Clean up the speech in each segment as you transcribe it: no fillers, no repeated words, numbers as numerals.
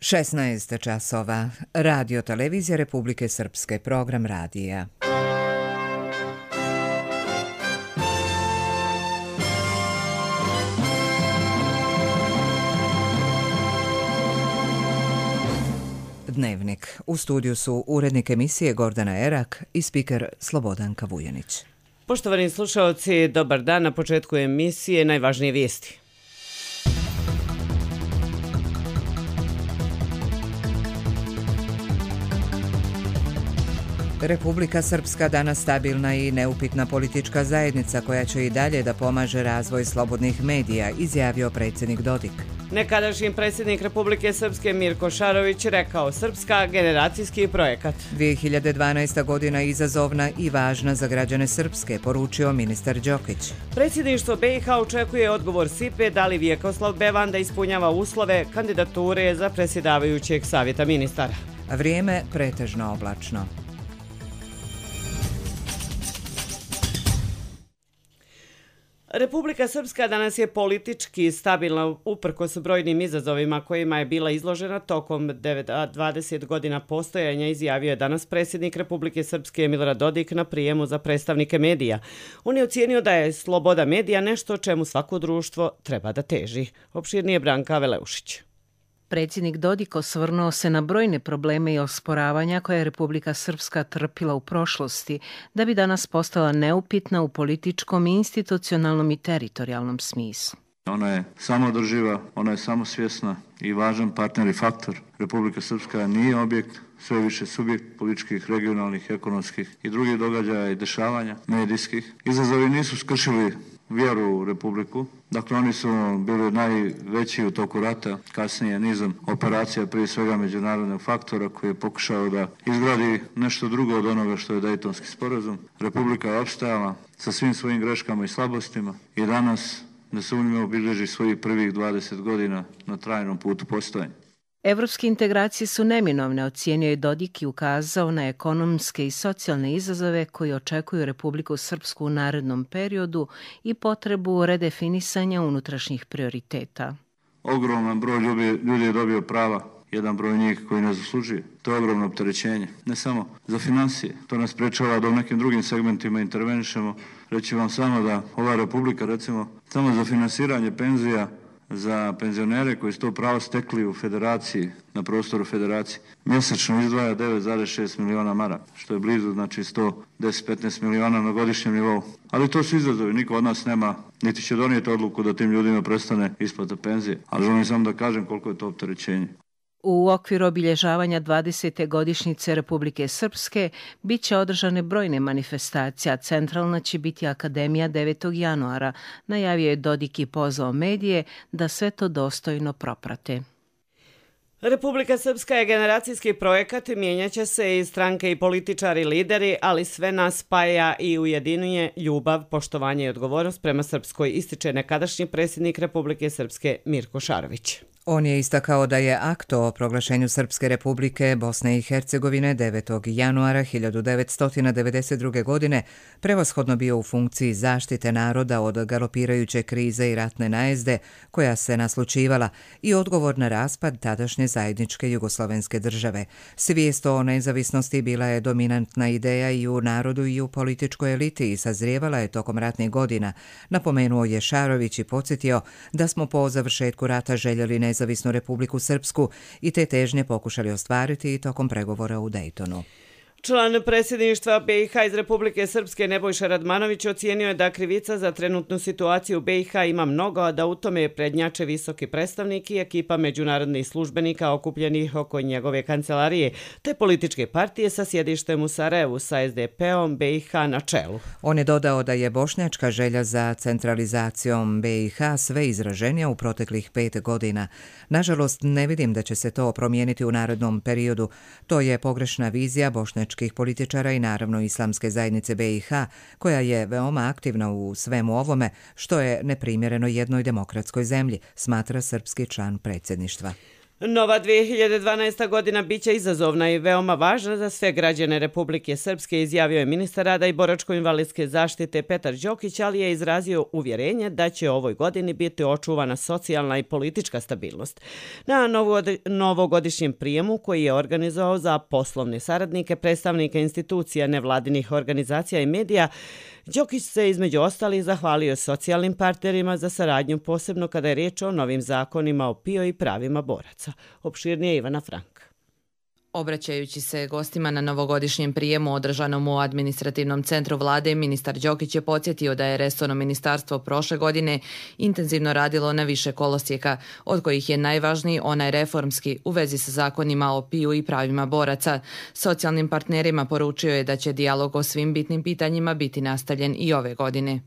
16 časova. Radio Televizija Republike Srpske. Program radija. Dnevnik. U studiju su urednik emisije Gordana Erak i spiker Slobodanka Vujanić. Poštovani slušalci, dobar dan. Na početku emisije najvažnije vijesti. Republika Srpska danas stabilna i neupitna politička zajednica koja će i dalje da pomaže razvoj slobodnih medija, izjavio predsjednik Dodik. Nekadašnji predsjednik Republike Srpske Mirko Šarović rekao: Srpska generacijski projekat. 2012. godina izazovna i važna za građane Srpske, poručio ministar Đokić. Predsjedništvo BiH očekuje odgovor SIPE da li Vjekoslav Bevanda ispunjava uslove kandidature za predsjedavajućeg savjeta ministara. Vrijeme pretežno oblačno. Republika Srpska danas je politički stabilna uprkos brojnim izazovima kojima je bila izložena tokom 20 godina postojanja, izjavio je danas predsjednik Republike Srpske Milorad Dodik na prijemu za predstavnike medija. On je ocijenio da je sloboda medija nešto čemu svako društvo treba da teži. Opširnije Branka Veleušić. Predsjednik Dodik osvrnuo se na brojne probleme i osporavanja koje je Republika Srpska trpila u prošlosti, da bi danas postala neupitna u političkom, institucionalnom i teritorijalnom smislu. Ona je samoodrživa, ona je samosvjesna i važan partner i faktor. Republika Srpska nije objekt, sve više subjekt političkih, regionalnih, ekonomskih i drugih događaja i dešavanja medijskih. Izazovi nisu skršili vjeru u Republiku. Dakle, oni su bili najveći u toku rata, kasnije nizom operacija, prije svega međunarodnog faktora koji je pokušao da izgradi nešto drugo od onoga što je Dejtonski sporazum. Republika je opstajala sa svim svojim greškama i slabostima i danas nesumnjivo obilježi svojih prvih 20 godina na trajnom putu postojanja. Evropske integracije su neminovne, ocijenio je Dodik i ukazao na ekonomske i socijalne izazove koji očekuju Republiku Srpsku u narednom periodu i potrebu redefinisanja unutrašnjih prioriteta. Ogroman broj ljudi je dobio prava, jedan broj njih koji ne zaslužuje. To je ogromno opterećenje, ne samo za financije. To nas sprečava da u nekim drugim segmentima intervenišemo. Reći vam samo da ova Republika, recimo, samo za finansiranje penzija za penzionere koji su to pravo stekli u federaciji, na prostoru federacije, mjesečno izdvaja 9,6 miliona maraka, što je blizu, znači 110-15 miliona na godišnjem nivou. Ali to su izazovi, niko od nas nema, niti će donijeti odluku da tim ljudima prestane isplata penzije. Ali želim samo da kažem koliko je to opterećenje. U okviru obilježavanja 20. godišnjice Republike Srpske bit će održane brojne manifestacije, a centralna će biti Akademija 9. januara, najavio je Dodik i pozvao medije da sve to dostojno proprate. Republika Srpska je generacijski projekat, mijenjaće se i stranke i političari lideri, ali sve nas spaja i ujedinjuje ljubav, poštovanje i odgovornost prema Srpskoj, ističe nekadašnji predsjednik Republike Srpske Mirko Šarović. On je istakao da je akt o proglašenju Srpske republike Bosne i Hercegovine 9. januara 1992. godine prevashodno bio u funkciji zaštite naroda od galopirajuće krize i ratne najezde koja se naslučivala i odgovor na raspad tadašnje zajedničke jugoslovenske države. Svijest o nezavisnosti bila je dominantna ideja i u narodu i u političkoj eliti i sazrijevala je tokom ratnih godina. Napomenuo je Šarović i podsjetio da smo po završetku rata željeli nezavisnu Republiku Srpsku i te težnje pokušali ostvariti i tokom pregovora u Dejtonu. Član predsjedništva BiH iz Republike Srpske Nebojša Radmanović ocijenio je da krivica za trenutnu situaciju u BiH ima mnogo, a da u tome prednjače visoki predstavnik i ekipa međunarodnih službenika okupljenih oko njegove kancelarije, te političke partije sa sjedištem u Sarajevu sa SDP-om BiH na čelu. On je dodao da je bošnjačka želja za centralizacijom BiH sve izraženija u proteklih 5 godina. Nažalost, ne vidim da će se to promijeniti u narednom periodu. To je pogrešna vizija bošnjačkih političara i naravno islamske zajednice BiH, koja je veoma aktivna u svemu ovome, što je neprimjereno jednoj demokratskoj zemlji, smatra srpski član predsjedništva. Nova 2012. godina biće izazovna i veoma važna za sve građane Republike Srpske, izjavio je ministar rada i boračko-invalidske zaštite Petar Đokić, ali je izrazio uvjerenje da će ovoj godini biti očuvana socijalna i politička stabilnost. Na novogodišnjem prijemu koji je organizovao za poslovne saradnike, predstavnike institucija, nevladinih organizacija i medija, Đokić se između ostalih zahvalio socijalnim partnerima za saradnju, posebno kada je riječ o novim zakonima o PIO i pravima boraca. Opširnije Ivana Frank. Obraćajući se gostima na novogodišnjem prijemu održanom u administrativnom centru vlade, ministar Đokić je podsjetio da je resorno ministarstvo prošle godine intenzivno radilo na više kolosijeka, od kojih je najvažniji onaj reformski u vezi sa zakonima o PIO i pravima boraca. Socijalnim partnerima poručio je da će dijalog o svim bitnim pitanjima biti nastavljen i ove godine.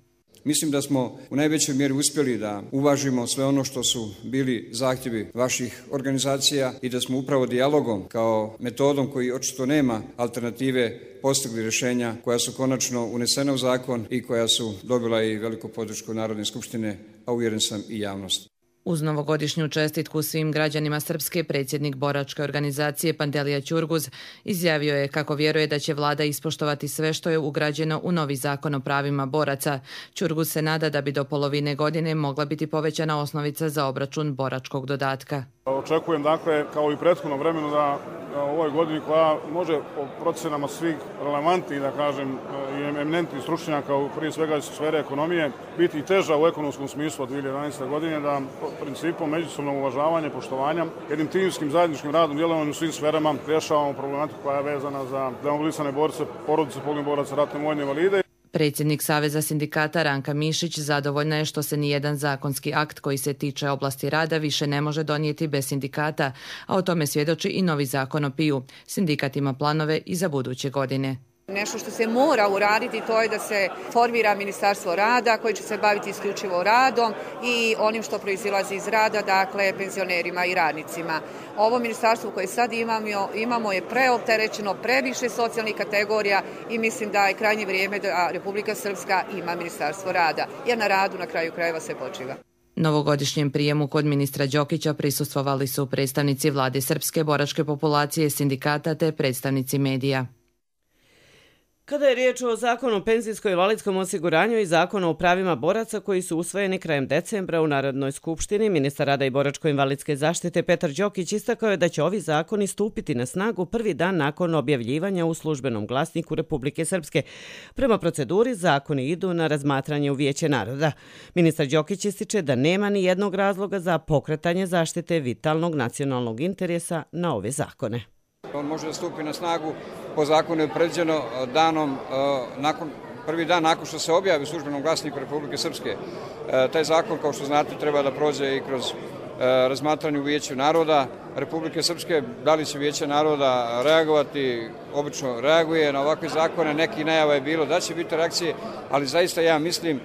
Mislim da smo u najvećoj mjeri uspjeli da uvažimo sve ono što su bili zahtjevi vaših organizacija i da smo upravo dijalogom kao metodom koji očito nema alternative postigli rješenja koja su konačno unesena u zakon i koja su dobila i veliku podršku Narodne skupštine, a uvjeren sam i javnost. Uz novogodišnju čestitku svim građanima Srpske, predsjednik boračke organizacije Pantelija Ćurguz izjavio je kako vjeruje da će vlada ispoštovati sve što je ugrađeno u novi zakon o pravima boraca. Ćurguz se nada da bi do polovine godine mogla biti povećana osnovica za obračun boračkog dodatka. Očekujem, dakle, kao i prethodno vremenu da u ovoj godini koja može po procenama svih relevantnih, da kažem, i eminentnih stručnjaka, prije svega iz sfere ekonomije, biti teža u ekonomskom smislu od 2011. godine, da principom međusobnog uvažavanja, poštovanja, jednim timskim zajedničkim radom, djelovanjem u svim sferama rješavamo problematiku koja je vezana za demobilisane borce, porodice poginulih boraca, ratne vojne invalide. Predsjednik Saveza sindikata Ranka Mišić zadovoljna je što se nijedan zakonski akt koji se tiče oblasti rada više ne može donijeti bez sindikata, a o tome svjedoči i novi zakon o PIO. Sindikat ima planove i za buduće godine. Nešto što se mora uraditi to je da se formira Ministarstvo rada koje će se baviti isključivo radom i onim što proizilazi iz rada, dakle penzionerima i radnicima. Ovo ministarstvo koje sad imamo je preopterećeno, previše socijalnih kategorija i mislim da je krajnje vrijeme da Republika Srpska ima Ministarstvo rada, jer na radu na kraju krajeva se počiva. Novogodišnjem prijemu kod ministra Đokića prisustvovali su predstavnici vlade srpske boračke populacije, sindikata te predstavnici medija. Kada je riječ o zakonu o penzijsko-invalidskom osiguranju i zakonu o pravima boraca koji su usvojeni krajem decembra u Narodnoj skupštini, ministar rada i boračko-invalidske zaštite Petar Đokić istakao je da će ovi zakoni stupiti na snagu prvi dan nakon objavljivanja u službenom glasniku Republike Srpske. Prema proceduri, zakoni idu na razmatranje u Vijeće naroda. Ministar Đokić ističe da nema ni jednog razloga za pokretanje zaštite vitalnog nacionalnog interesa na ove zakone. On može da stupi na snagu po zakonu je predviđeno prvi dan nakon što se objavi u službenom glasniku Republike Srpske. Taj zakon, kao što znate, treba da prođe i kroz razmatranje u Vijeću naroda Republike Srpske. Da li će Vijeće naroda reagovati? Obično reaguje na ovakve zakone. Neki najava je bilo da će biti reakcije, ali zaista ja mislim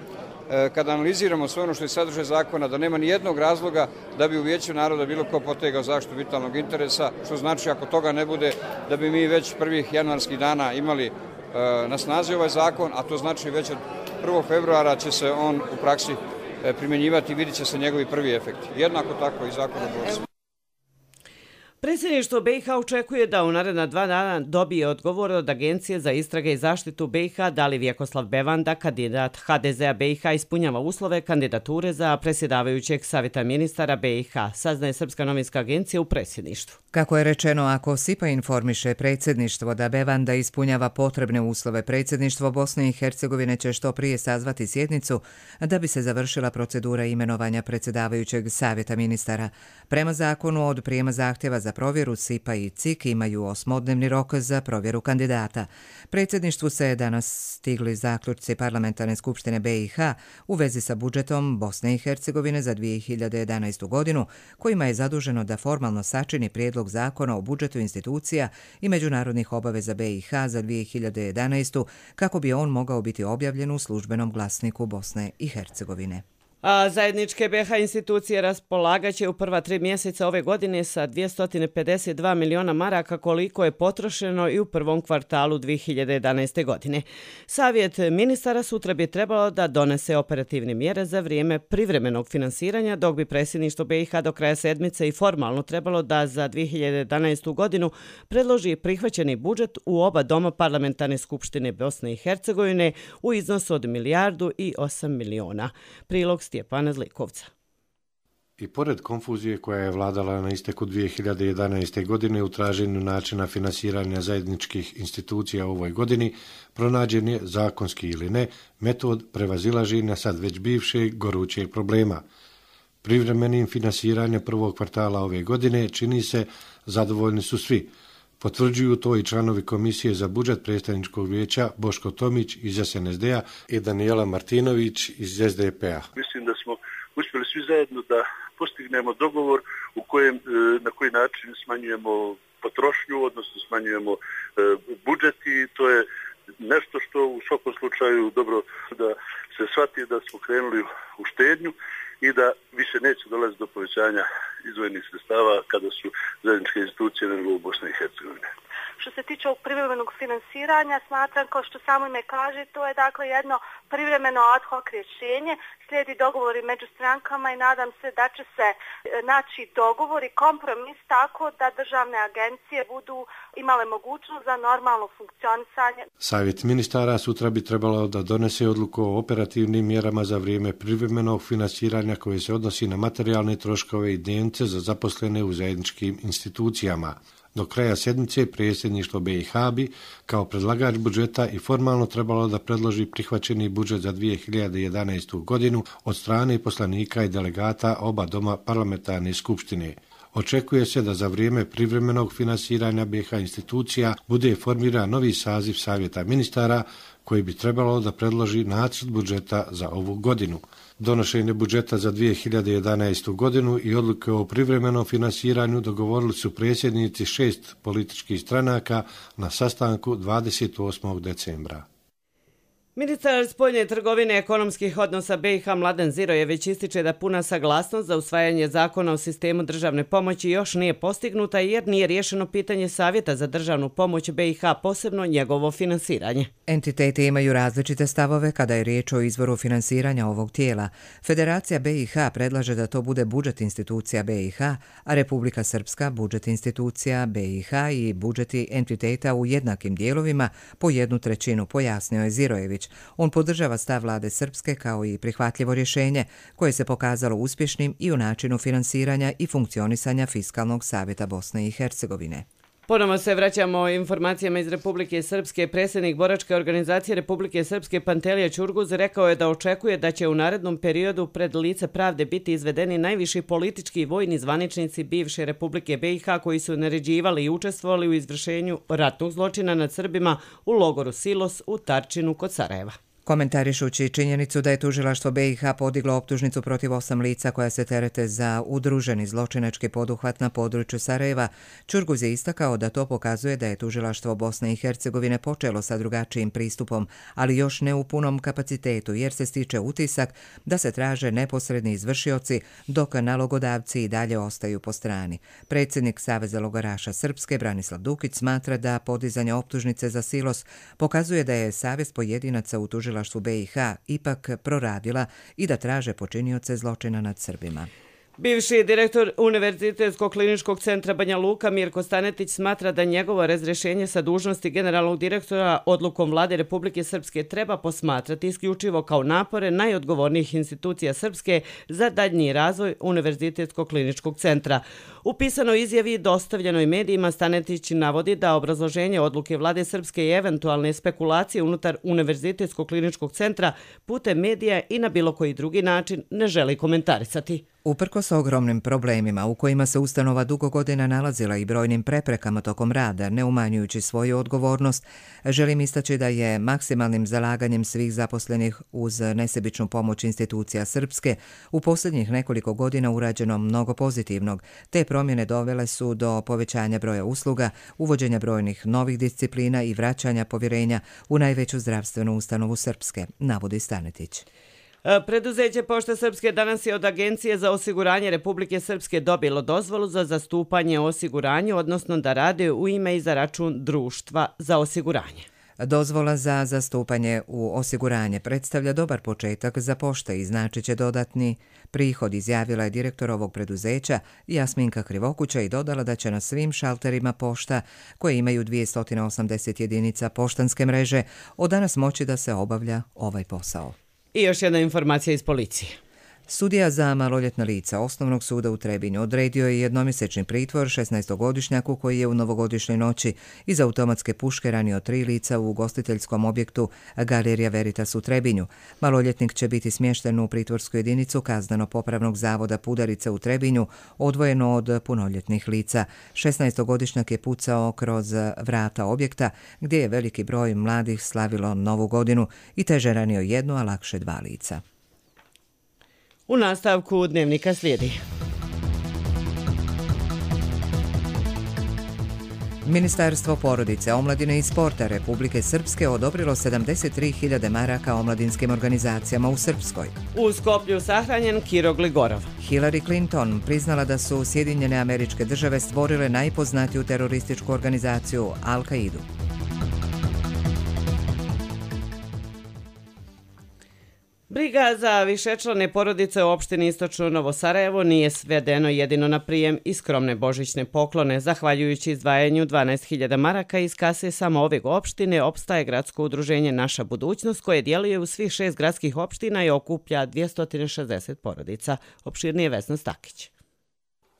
kada analiziramo sve ono što je sadržaj zakona, da nema ni jednog razloga da bi u Vijeću naroda bilo ko potegao zaštitu vitalnog interesa, što znači ako toga ne bude da bi mi već prvih januarskih dana imali na snazi ovaj zakon, a to znači već od 1. februara će se on u praksi primjenjivati i vidjet će se njegovi prvi efekti. Jednako tako i zakon o borcima. Predsjedništvo BiH očekuje da u naredna 2 dana dobije odgovor od Agencije za istrage i zaštitu BiH da li Vjekoslav Bevanda, kandidat HDZ-a BiH, ispunjava uslove kandidature za predsjedavajućeg savjeta ministara BiH, saznaje Srpska novinska agencija u predsjedništvu. Kako je rečeno, ako SIPA informiše predsjedništvo da Bevanda ispunjava potrebne uslove, predsjedništvo Bosne i Hercegovine će što prije sazvati sjednicu da bi se završila procedura imenovanja predsjedavajućeg savjeta ministara. Prema zakonu od prijema zahtjeva za provjeru SIPA i CIK imaju 8-dnevni rok za provjeru kandidata. Predsjedništvu se danas stigli zaključci Parlamentarne skupštine BiH u vezi sa budžetom Bosne i Hercegovine za 2011. godinu, kojima je zaduženo da formalno sačini prijedlog zakona o budžetu institucija i međunarodnih obaveza BiH za 2011. kako bi on mogao biti objavljen u službenom glasniku Bosne i Hercegovine. A zajedničke BiH institucije raspolagaće u prva 3 mjeseca ove godine sa 252 miliona maraka koliko je potrošeno i u prvom kvartalu 2011. godine. Savjet ministara sutra bi trebalo da donese operativne mjere za vrijeme privremenog finansiranja, dok bi predsjedništvo BiH do kraja sedmice i formalno trebalo da za 2011. godinu predloži prihvaćeni budžet u oba doma Parlamentarne skupštine Bosne i Hercegovine u iznosu od 1,8 milijardi. Prilog Stjepana Zlikovca. I pored konfuzije koja je vladala na isteku 2011. godine u traženju načina finansiranja zajedničkih institucija u ovoj godini, pronađen je, zakonski ili ne, metod prevazilaženja sad već bivšeg gorućeg problema. Privremenim finansiranjem prvog kvartala ove godine čini se zadovoljni su svi. Potvrđuju to i članovi Komisije za budžet predstavničkog vijeća Boško Tomić iz SNSD-a i Danijela Martinović iz SDP-a. Mislim da smo uspjeli svi zajedno da postignemo dogovor u kojem, na koji način smanjujemo potrošnju, odnosno smanjujemo budžet i to je nešto što u svakom slučaju dobro da se shvati da smo krenuli u štednju i da više neće dolaziti do povećanja izdvojenih sredstava kada su zajedničke institucije na nivou Bosne i Hercegovine. Što se tiče ovog privremenog finansiranja, smatram, kao što samo ime kaže, to je dakle jedno privremeno ad hoc rješenje, slijedi dogovori među strankama i nadam se da će se naći dogovor i kompromis tako da državne agencije budu imale mogućnost za normalno funkcionisanje. Savjet ministara sutra bi trebalo da donese odluku o operativnim mjerama za vrijeme privremenog finansiranja koje se odnosi na materijalne troškove i dnevnice za zaposlene u zajedničkim institucijama. Do kraja sedmice predsjedništvo BiH bi, kao predlagač budžeta, i formalno trebalo da predloži prihvaćeni budžet za 2011. godinu od strane poslanika i delegata oba doma Parlamentarne skupštine. Očekuje se da za vrijeme privremenog finansiranja BiH institucija bude formiran novi saziv Savjeta ministara koji bi trebalo da predloži nacrt budžeta za ovu godinu. Donošenje budžeta za 2011. godinu i odluke o privremenom finansiranju dogovorili su predsjednici 6 političkih stranaka na sastanku 28. decembra. Ministar spoljne trgovine i ekonomskih odnosa BiH Mladen Zirojević ističe da puna saglasnost za usvajanje zakona o sistemu državne pomoći još nije postignuta jer nije riješeno pitanje Savjeta za državnu pomoć BiH, posebno njegovo finansiranje. Entiteti imaju različite stavove kada je riječ o izvoru finansiranja ovog tijela. Federacija BiH predlaže da to bude budžet institucija BiH, a Republika Srpska budžet institucija BiH i budžeti entiteta u jednakim dijelovima po 1/3, pojasnio je Zirojević. On podržava stav vlade Srpske kao i prihvatljivo rješenje koje se pokazalo uspješnim i u načinu finansiranja i funkcionisanja Fiskalnog savjeta Bosne i Hercegovine. Ponovo se vraćamo informacijama iz Republike Srpske. Predsjednik boračke organizacije Republike Srpske Pantelija Ćurguz rekao je da očekuje da će u narednom periodu pred lice pravde biti izvedeni najviši politički i vojni zvaničnici bivše Republike BiH koji su naređivali i učestvovali u izvršenju ratnog zločina nad Srbima u logoru Silos u Tarčinu kod Sarajeva. Komentarišući činjenicu da je tužilaštvo BiH podiglo optužnicu protiv 8 lica koja se terete za udruženi zločinački poduhvat na području Sarajeva, Ćurguz je istakao da to pokazuje da je tužilaštvo Bosne i Hercegovine počelo sa drugačijim pristupom, ali još ne u punom kapacitetu jer se stiče utisak da se traže neposredni izvršioci dok nalogodavci i dalje ostaju po strani. Predsjednik Saveza logoraša Srpske Branislav Dukić smatra da podizanje optužnice za Silos pokazuje da je savjest pojedinaca u tužilaštvu BiH ipak proradila i da traže počinioce zločina nad Srbima. Bivši direktor Univerzitetskog kliničkog centra Banja Luka Mirko Stanetić smatra da njegovo razrješenje sa dužnosti generalnog direktora odlukom vlade Republike Srpske treba posmatrati isključivo kao napore najodgovornijih institucija Srpske za daljnji razvoj Univerzitetskog kliničkog centra. U pisanoj izjavi dostavljenoj medijima Stanetić navodi da obrazloženje odluke vlade Srpske i eventualne spekulacije unutar Univerzitetskog kliničkog centra putem medija i na bilo koji drugi način ne želi komentarisati. Uprkos ogromnim problemima u kojima se ustanova dugo godina nalazila i brojnim preprekama tokom rada, ne umanjujući svoju odgovornost, želim istaći da je maksimalnim zalaganjem svih zaposlenih uz nesebičnu pomoć institucija Srpske u posljednjih nekoliko godina urađeno mnogo pozitivnog. Te promjene dovele su do povećanja broja usluga, uvođenja brojnih novih disciplina i vraćanja povjerenja u najveću zdravstvenu ustanovu Srpske, navodi Stanetić. Preduzeće Pošte Srpske danas je od Agencije za osiguranje Republike Srpske dobilo dozvolu za zastupanje o osiguranju, odnosno da rade u ime i za račun društva za osiguranje. Dozvola za zastupanje u osiguranje predstavlja dobar početak za pošte i znači će dodatni prihod, izjavila je direktor ovog preduzeća Jasminka Krivokuća i dodala da će na svim šalterima pošta, koje imaju 280 jedinica poštanske mreže, od danas moći da se obavlja ovaj posao. I još jedna informacija iz policije. Sudija za maloljetna lica Osnovnog suda u Trebinju odredio je jednomjesečni pritvor 16-godišnjaku koji je u novogodišnjoj noći iz automatske puške ranio 3 lica u ugostiteljskom objektu Galerija Veritas u Trebinju. Maloljetnik će biti smješten u pritvorsku jedinicu Kazneno-popravnog zavoda Pudarica u Trebinju, odvojeno od punoljetnih lica. 16-godišnjak je pucao kroz vrata objekta gdje je veliki broj mladih slavilo Novu godinu i teže ranio 1, a lakše 2 lica. U nastavku dnevnika slijedi. Ministarstvo porodice, omladine i sporta Republike Srpske odobrilo 73.000 maraka omladinskim organizacijama u Srpskoj. U Skoplju sahranjen Kiro Gligorov. Hillary Clinton priznala da su Sjedinjene Američke Države stvorile najpoznatiju terorističku organizaciju Al-Kaidu. Briga za višečlane porodice u opštini Istočno Novo Sarajevo nije svedeno jedino na prijem i skromne božićne poklone. Zahvaljujući izdvajanju 12.000 maraka iz kase samo ove opštine, opstaje gradsko udruženje Naša budućnost koje djeluje u svih 6 gradskih opština i okuplja 260 porodica. Opširnije Vesna Stakić.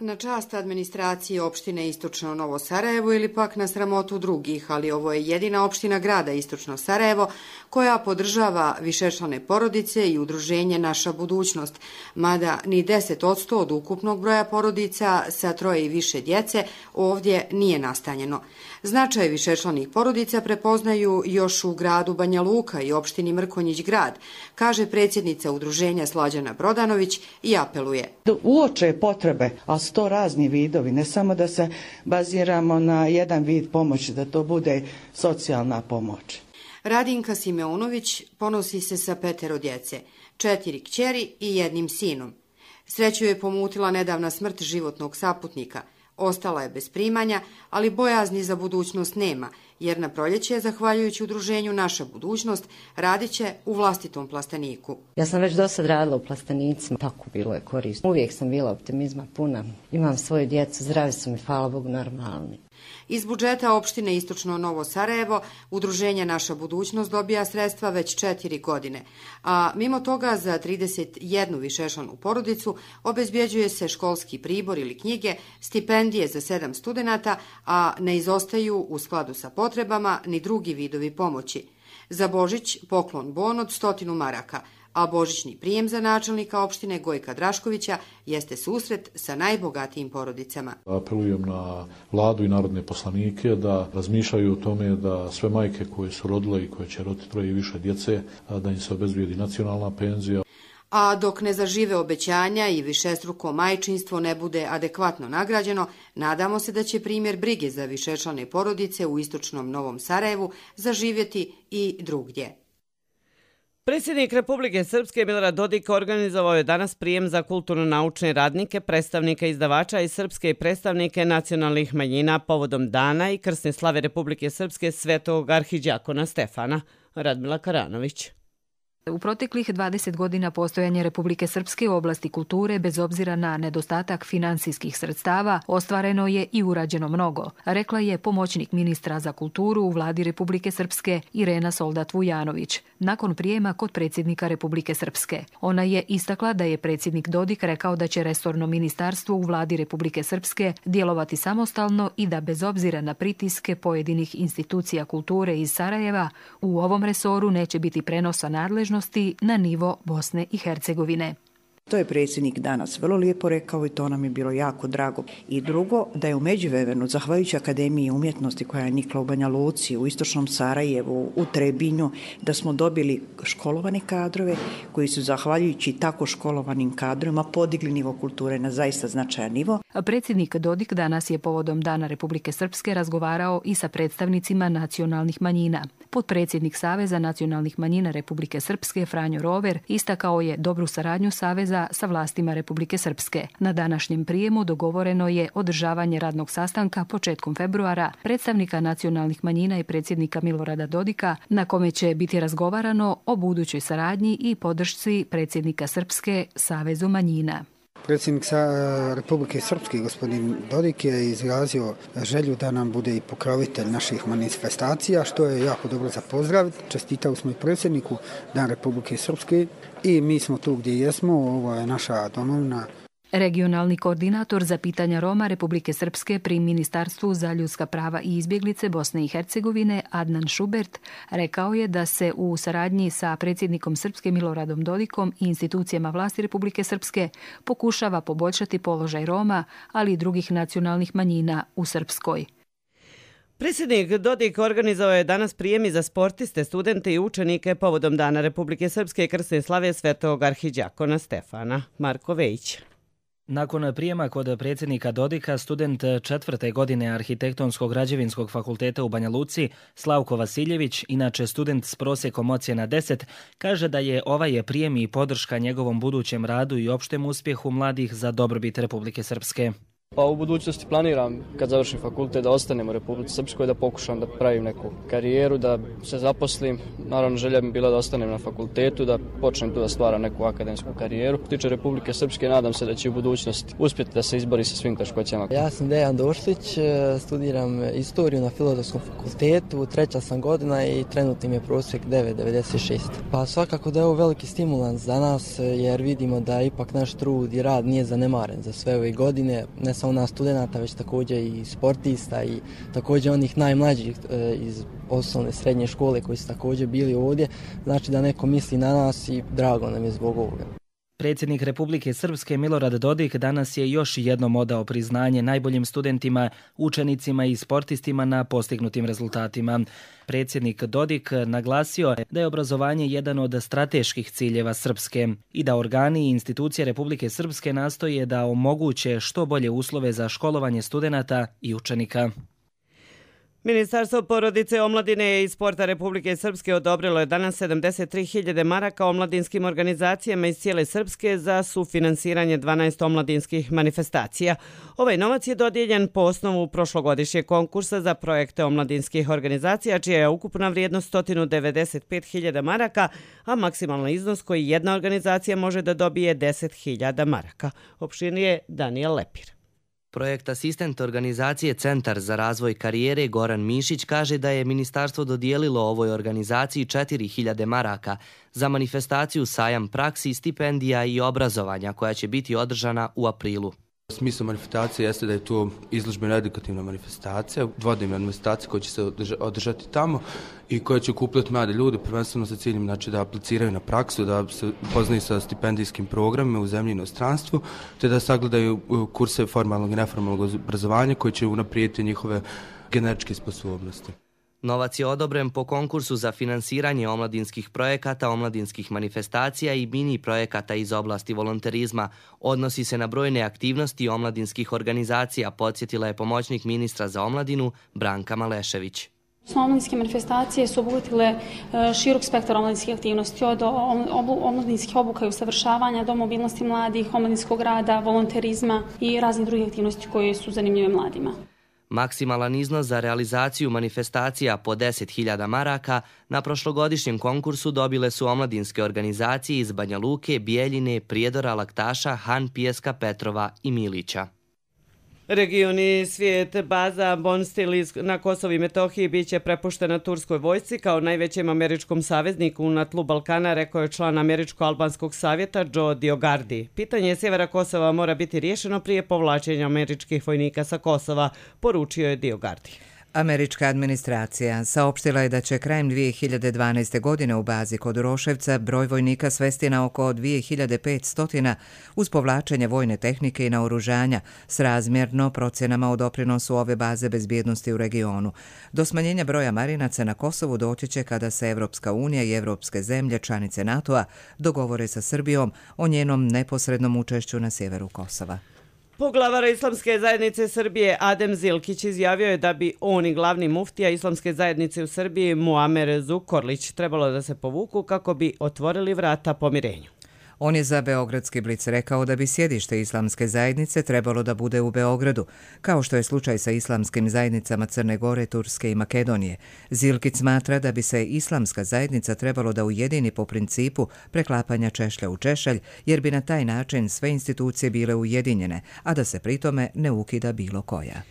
Na čast administracije opštine Istočno Novo Sarajevo ili pak na sramotu drugih, ali ovo je jedina opština grada Istočno Sarajevo koja podržava višečlane porodice i udruženje Naša budućnost, mada ni 10% od ukupnog broja porodica sa 3 i više djece ovdje nije nastanjeno. Značaj višečlanih porodica prepoznaju još u gradu Banja Luka i opštini Mrkonjić grad, kaže predsjednica udruženja Slađana Brodanović i apeluje. Uoče potrebe, a su to razni vidovi, ne samo da se baziramo na jedan vid pomoći, da to bude socijalna pomoć. Radinka Simeunović ponosi se sa 5 djece, 4 kćeri i 1 sinom. Sreću je pomutila nedavna smrt životnog saputnika. Ostala je bez primanja, ali bojazni za budućnost nema, jer na proljeće, zahvaljujući udruženju Naša budućnost, radit će u vlastitom plasteniku. Ja sam već do sad radila u plastenicima, tako bilo je korisno. Uvijek sam bila optimizma puna, imam svoju djecu, zdravi su mi, hvala Bogu, normalni. Iz budžeta opštine Istočno Novo Sarajevo udruženje Naša budućnost dobija sredstva već 4 godine, a mimo toga za 31 višečlanu porodicu obezbjeđuje se školski pribor ili knjige, stipendije za 7 studenata, a ne izostaju u skladu sa potrebama ni drugi vidovi pomoći. Za Božić poklon bon od 100 maraka, a božićni prijem za načelnika opštine Gojka Draškovića jeste susret sa najbogatijim porodicama. Apelujem na vladu i narodne poslanike da razmišljaju o tome da sve majke koje su rodile i koje će roditi 3 i više djece, da im se obezbijedi nacionalna penzija. A dok ne zažive obećanja i višestruko majčinstvo ne bude adekvatno nagrađeno, nadamo se da će primjer brige za višečlane porodice u Istočnom Novom Sarajevu zaživjeti i drugdje. Predsjednik Republike Srpske Milorad Dodik organizovao je danas prijem za kulturno-naučne radnike, predstavnike izdavača iz Srpske i predstavnike nacionalnih manjina povodom dana i krsne slave Republike Srpske Svetog arhidjakona Stefana. Radmila Karanović. U proteklih 20 godina postojanja Republike Srpske u oblasti kulture, bez obzira na nedostatak finansijskih sredstava, ostvareno je i urađeno mnogo, rekla je pomoćnik ministra za kulturu u vladi Republike Srpske Irena Soldat Vujanović, nakon prijema kod predsjednika Republike Srpske. Ona je istakla da je predsjednik Dodik rekao da će resorno ministarstvo u vladi Republike Srpske djelovati samostalno i da bez obzira na pritiske pojedinih institucija kulture iz Sarajeva, u ovom resoru neće biti prenosa nadležnosti na nivo Bosne i Hercegovine. To je predsjednik danas vrlo lijepo rekao i to nam je bilo jako drago. I drugo, da je u međuvremenu, zahvaljujući Akademiji umjetnosti koja je nikla u Banja Luci, u istočnom Sarajevu, u Trebinju, da smo dobili školovane kadrove koji su zahvaljujući tako školovanim kadrovima podigli nivo kulture na zaista značajan nivo. Predsjednik Dodik danas je povodom Dana Republike Srpske razgovarao i sa predstavnicima nacionalnih manjina. Potpredsjednik Saveza nacionalnih manjina Republike Srpske Franjo Rover istakao je dobru saradnju Saveza sa vlastima Republike Srpske. Na današnjem prijemu dogovoreno je održavanje radnog sastanka početkom februara predstavnika nacionalnih manjina i predsjednika Milorada Dodika, na kome će biti razgovarano o budućoj saradnji i podršci predsjednika Srpske Savezu manjina. Predsjednik Republike Srpske, gospodin Dodik, je izrazio želju da nam bude i pokrovitelj naših manifestacija, što je jako dobro za pozdraviti. Čestitali smo i predsjedniku Dan Republike Srpske i mi smo tu gdje jesmo, ovo je naša domovina. Regionalni koordinator za pitanja Roma Republike Srpske pri Ministarstvu za ljudska prava i izbjeglice Bosne i Hercegovine Adnan Šubert rekao je da se u saradnji sa predsjednikom Srpske Miloradom Dodikom i institucijama vlasti Republike Srpske pokušava poboljšati položaj Roma, ali i drugih nacionalnih manjina u Srpskoj. Predsjednik Dodik organizovao je danas prijemi za sportiste, studente i učenike povodom Dana Republike Srpske i krsne slave svetog arhidjakona Stefana. Marko Vejić. Nakon prijema kod predsjednika Dodika, student 4. godine Arhitektonskog građevinskog fakulteta u Banja Luci, Slavko Vasiljević, inače student s prosjekom ocjena 10, kaže da je ovaj prijem i podrška njegovom budućem radu i opštem uspjehu mladih za dobrobit Republike Srpske. Pa u budućnosti planiram, kad završim fakultet, da ostanem u Republici Srpskoj, da pokušam da pravim neku karijeru, da se zaposlim. Naravno, želja mi bila da ostanem na fakultetu, da počnem tu da stvaram neku akademsku karijeru. Što tiče Republike Srpske, nadam se da će u budućnosti uspjeti da se izbori sa svim teškoćama. Ja sam Dejan Došlić, studiram istoriju na Filozofskom fakultetu, 3. sam godina i trenutni mi je prosjek 9,96. Pa svakako da je ovo veliki stimulans za nas, jer vidimo da ipak naš trud i rad nije zanemaren za sve ove godine, ne samo nas studenta, već također i sportista i također onih najmlađih iz osnovne srednje škole koji su također bili ovdje. Znači da neko misli na nas i drago nam je zbog ovoga. Predsjednik Republike Srpske Milorad Dodik danas je još jednom odao priznanje najboljim studentima, učenicima i sportistima na postignutim rezultatima. Predsjednik Dodik naglasio da je obrazovanje jedan od strateških ciljeva Srpske i da organi i institucije Republike Srpske nastoje da omoguće što bolje uslove za školovanje studenata i učenika. Ministarstvo porodice, omladine i sporta Republike Srpske odobrilo je danas 73.000 maraka omladinskim organizacijama iz cijele Srpske za sufinansiranje 12 omladinskih manifestacija. Ovaj novac je dodijeljen po osnovu prošlogodišnjeg konkursa za projekte omladinskih organizacija, čija je ukupna vrijednost 195.000 maraka, a maksimalni iznos koji jedna organizacija može da dobije 10.000 maraka. Opširnije Daniel Lepir. Projekt asistent organizacije Centar za razvoj karijere Goran Mišić kaže da je ministarstvo dodijelilo ovoj organizaciji 4.000 maraka za manifestaciju Sajam praksi, stipendija i obrazovanja koja će biti održana u aprilu. Smisao manifestacije jeste da je to izložbena edukativna manifestacija, dvodnevna manifestacija koja će se održati tamo i koja će okupljati mlade ljude, prvenstveno sa ciljem da apliciraju na praksu, da se upoznaju sa stipendijskim programima u zemlji i inostranstvu, te da sagledaju kurse formalnog i neformalnog obrazovanja koji će unaprijediti njihove generičke sposobnosti. Novac je odobren po konkursu za finansiranje omladinskih projekata, omladinskih manifestacija i mini projekata iz oblasti volonterizma. Odnosi se na brojne aktivnosti omladinskih organizacija, podsjetila je pomoćnik ministra za omladinu Branka Malešević. Omladinske manifestacije su obuhvatile širok spektar omladinskih aktivnosti, od omladinskih obuka i usavršavanja do mobilnosti mladih, omladinskog rada, volonterizma i raznih drugih aktivnosti koje su zanimljive mladima. Maksimalan iznos za realizaciju manifestacija po 10.000 maraka na prošlogodišnjem konkursu dobile su omladinske organizacije iz Banja Luke, Bijeljine, Prijedora, Laktaša, Han, Pijeska, Petrova i Milića. Regioni svijet baza Bonstil na Kosovu i Metohiji biće prepuštena turskoj vojsci kao najvećem američkom savezniku na tlu Balkana, rekao je član Američko-albanskog savjeta Joe Diogardi. Pitanje sjevera Kosova mora biti riješeno prije povlačenja američkih vojnika sa Kosova, poručio je Diogardi. Američka administracija saopštila je da će krajem 2012. godine u bazi kod Roševca broj vojnika svesti na oko 2500 uz povlačenje vojne tehnike i naoružanja srazmjerno procjenama o doprinosu ove baze bezbjednosti u regionu. Do smanjenja broja marinaca na Kosovu doći će kada se Evropska unija i evropske zemlje članice NATO-a dogovore sa Srbijom o njenom neposrednom učešću na sjeveru Kosova. Poglavar Islamske zajednice Srbije Adem Zilkić izjavio je da bi on i glavni muftija Islamske zajednice u Srbiji Muamer Zukorlić trebalo da se povuku kako bi otvorili vrata pomirenju. On je za Beogradski blic rekao da bi sjedište Islamske zajednice trebalo da bude u Beogradu, kao što je slučaj sa islamskim zajednicama Crne Gore, Turske i Makedonije. Zilkić smatra da bi se Islamska zajednica trebalo da ujedini po principu preklapanja češlja u češalj, jer bi na taj način sve institucije bile ujedinjene, a da se pritome ne ukida bilo koja.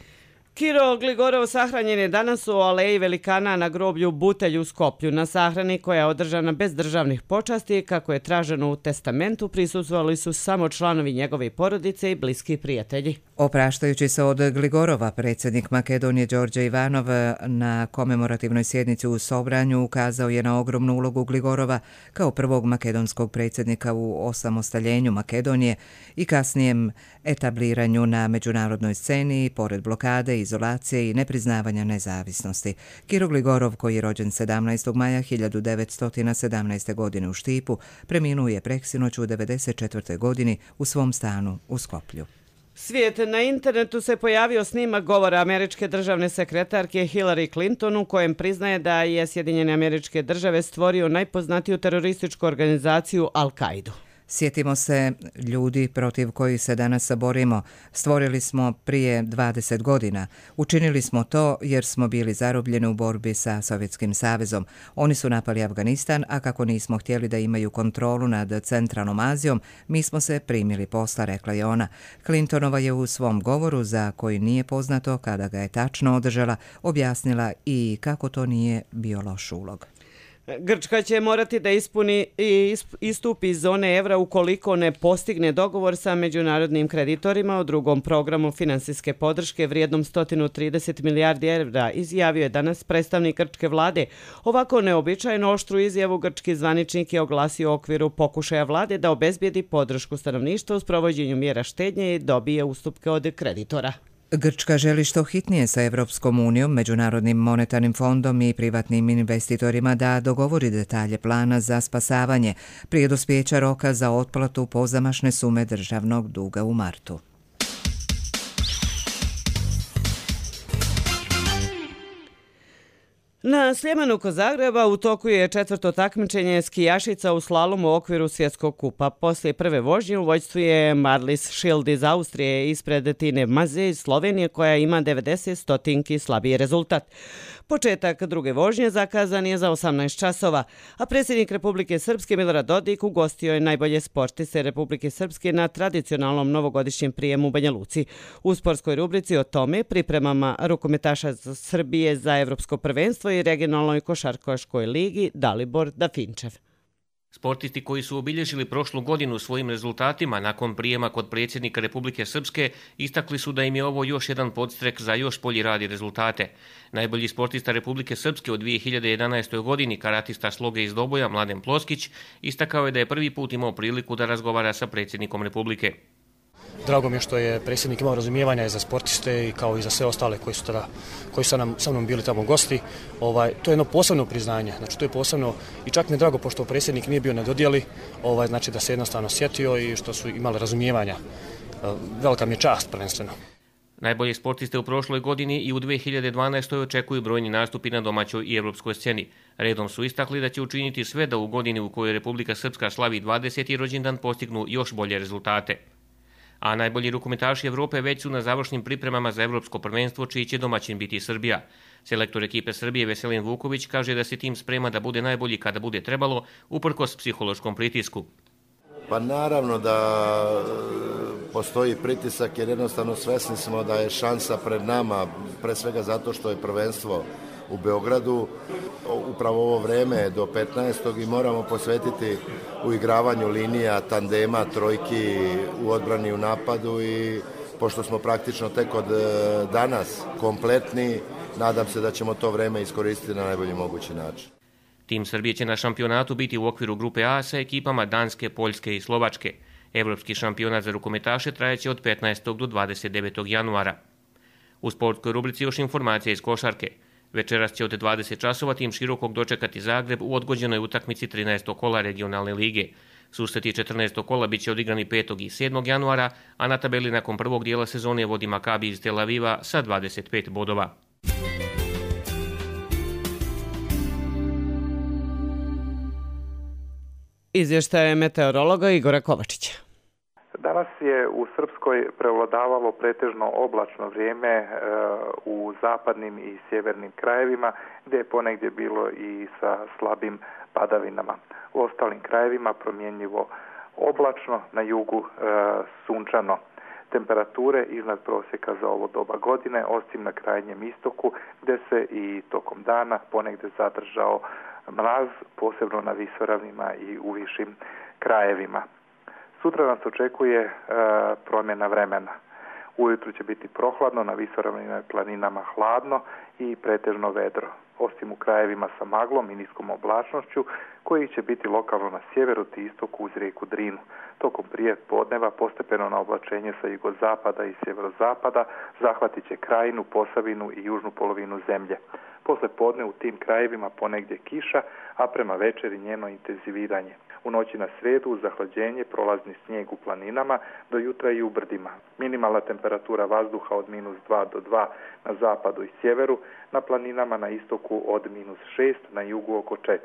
Kiro Gligorov sahranjen je danas u aleji velikana na groblju Butelj u Skoplju. Na sahrani koja je održana bez državnih počasti, kako je traženo u testamentu, prisustvovali su samo članovi njegove porodice i bliski prijatelji. Opraštajući se od Gligorova, predsjednik Makedonije Đorđe Ivanov na komemorativnoj sjednici u Sobranju ukazao je na ogromnu ulogu Gligorova kao prvog makedonskog predsjednika u osamostaljenju Makedonije i kasnijem etabliranju na međunarodnoj sceni, pored blokade, izolacije i nepriznavanja nezavisnosti. Kiro Gligorov, koji je rođen 17. maja 1917. godine u Štipu, preminuo je preksinoć u 94. godini u svom stanu u Skoplju. Svijet, na internetu se pojavio snimak govora američke državne sekretarke Hillary Clinton u kojem priznaje da je Sjedinjene Američke Države stvorio najpoznatiju terorističku organizaciju Al-Kaidu. Sjetimo se ljudi protiv kojih se danas borimo. Stvorili smo prije 20 godina. Učinili smo to jer smo bili zarobljeni u borbi sa Sovjetskim savezom. Oni su napali Afganistan, a kako nismo htjeli da imaju kontrolu nad centralnom Azijom, mi smo se primili posla, rekla je ona. Clintonova je u svom govoru, za koji nije poznato kada ga je tačno održala, objasnila i kako to nije bio loš ulog. Grčka će morati da istupi iz zone evra ukoliko ne postigne dogovor sa međunarodnim kreditorima o drugom programu finansijske podrške vrijednom 130 milijardi evra, izjavio je danas predstavnik grčke vlade. Ovako neobičajno oštru izjavu grčki zvaničnik je oglasio u okviru pokušaja vlade da obezbijedi podršku stanovništva u sprovođenju mjera štednje i dobije ustupke od kreditora. Grčka želi što hitnije sa Evropskom unijom, Međunarodnim monetarnim fondom i privatnim investitorima da dogovori detalje plana za spasavanje prije dospijeća roka za otplatu pozamašne sume državnog duga u martu. Na Sljemenu kod Zagreba u toku je četvrto takmičenje skijašica u slalomu u okviru svjetskog kupa. Poslije prve vožnje u vođstvu je Marlis Schild iz Austrije ispred Tine Maze iz Slovenije koja ima 90 stotinki slabiji rezultat. Početak druge vožnje zakazan je za 18 časova, a predsjednik Republike Srpske Milorad Dodik ugostio je najbolje sportiste Republike Srpske na tradicionalnom novogodišnjem prijemu u Banja Luci. U sportskoj rubrici o tome, pripremama rukometaša Srbije za evropsko prvenstvo i regionalnoj košarkaškoj ligi Dalibor Dafinčev. Sportisti koji su obilježili prošlu godinu svojim rezultatima nakon prijema kod predsjednika Republike Srpske istakli su da im je ovo još jedan podstrek za još bolji rad i rezultate. Najbolji sportista Republike Srpske u 2011. godini, karatista sloge iz Doboja Mladen Ploskić, istakao je da je prvi put imao priliku da razgovara sa predsjednikom Republike. Drago mi je što je predsjednik imao razumijevanja i za sportiste i kao i za sve ostale koji su sa mnom bili tamo gosti. To je jedno posebno priznanje, znači to je posebno i čak mi je drago pošto predsjednik nije bio na dodjeli, znači da se jednostavno sjetio i što su imali razumijevanja. Velika mi je čast prvenstveno. Najbolje sportiste u prošloj godini i u 2012. očekuju brojni nastupi na domaćoj i evropskoj sceni. Redom su istakli da će učiniti sve da u godini u kojoj Republika Srpska slavi 20. rođendan postignu još bolje rezultate. A najbolji rukometaši Evrope već su na završnim pripremama za evropsko prvenstvo, čiji će domaćin biti Srbija. Selektor ekipe Srbije Veselin Vuković kaže da se tim sprema da bude najbolji kada bude trebalo, uprkos psihološkom pritisku. Pa naravno da postoji pritisak jer jednostavno svesni smo da je šansa pred nama, pre svega zato što je prvenstvo u Beogradu, upravo ovo vreme do 15. i moramo posvetiti u igravanju linija, tandema, trojki, u odbrani, u napadu i pošto smo praktično tek od danas kompletni nadam se da ćemo to vreme iskoristiti na najbolji mogući način. Tim Srbije će na šampionatu biti u okviru grupe A sa ekipama Danske, Poljske i Slovačke. Evropski šampionat za rukometaše trajeće od 15. do 29. januara. U sportskoj rubrici još informacija iz košarke. Večeras će od 20 časova tim Širokog dočekati Zagreb u odgođenoj utakmici 13. kola regionalne lige. Susreti 14. kola bit će odigrani 5. i 7. januara, a na tabeli nakon prvog dijela sezone vodi Makabi iz Tel Aviva sa 25 bodova. Izvještaj meteorologa Igora Kovačića. Danas je u Srpskoj prevladavalo pretežno oblačno vrijeme u zapadnim i sjevernim krajevima, gdje je ponegdje bilo i sa slabim padavinama. U ostalim krajevima promjenjivo oblačno, na jugu sunčano. Temperature iznad prosjeka za ovo doba godine, osim na krajnjem istoku, gdje se i tokom dana ponegdje zadržao mraz, posebno na visoravnima i u višim krajevima. Sutra nas očekuje promjena vremena. Ujutru će biti prohladno, na visoravnima i planinama hladno i pretežno vedro, osim u krajevima sa maglom i niskom oblačnošću, koji će biti lokalno na sjeveru te istoku uz rijeku Drinu. Tokom prije podneva postepeno na oblačenje sa jugozapada i sjeverozapada zahvatit će Krajinu, Posavinu i južnu polovinu zemlje. Posle podne u tim krajevima ponegdje kiša, a prema večeri njeno intenziviranje. U noći na srijedu uz zahlađenje prolazni snijeg u planinama, do jutra i u brdima. Minimalna temperatura vazduha od -2 do 2 na zapadu i sjeveru, na planinama na istoku od -6, na jugu oko 4.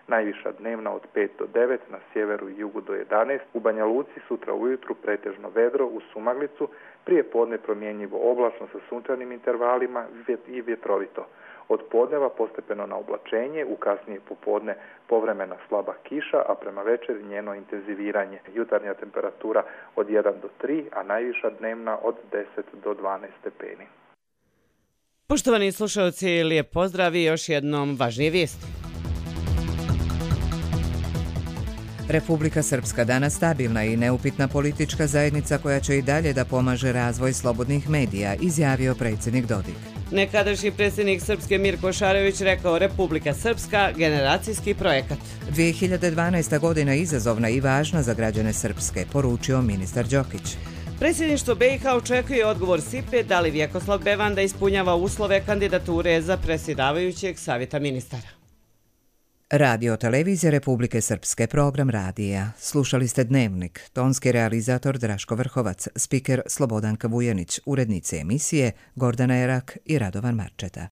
Najviša dnevna od 5 do 9, na sjeveru i jugu do 11. U Banja Luci sutra ujutru pretežno vedro uz sumaglicu, prije podne promjenjivo oblačno sa sunčanim intervalima i vjetrovito. Od podneva postepeno na oblačenje, u kasnije popodne povremena slaba kiša, a prema večeri njeno intenziviranje. Jutarnja temperatura od 1 do 3, a najviša dnevna od 10 do 12 stepeni. Poštovani slušalci, lijep pozdrav i još jednom važnije vijesti. Republika Srpska danas stabilna i neupitna politička zajednica koja će i dalje da pomaže razvoj slobodnih medija, izjavio predsjednik Dodik. Nekadašnji predsjednik Srpske Mirko Šarević rekao Republika Srpska generacijski projekat. 2012. godina izazovna i važna za građane Srpske, poručio ministar Đokić. Predsjedništvo BiH očekuje odgovor SIPE da li Vjekoslav Bevanda ispunjava uslove kandidature za predsjedavajućeg savjeta ministara. Radio televizija Republike Srpske, program radija. Slušali ste Dnevnik, tonski realizator Draško Vrhovac, spiker Slobodanka Vujanić, urednice emisije Gordana Erak i Radovan Marčeta.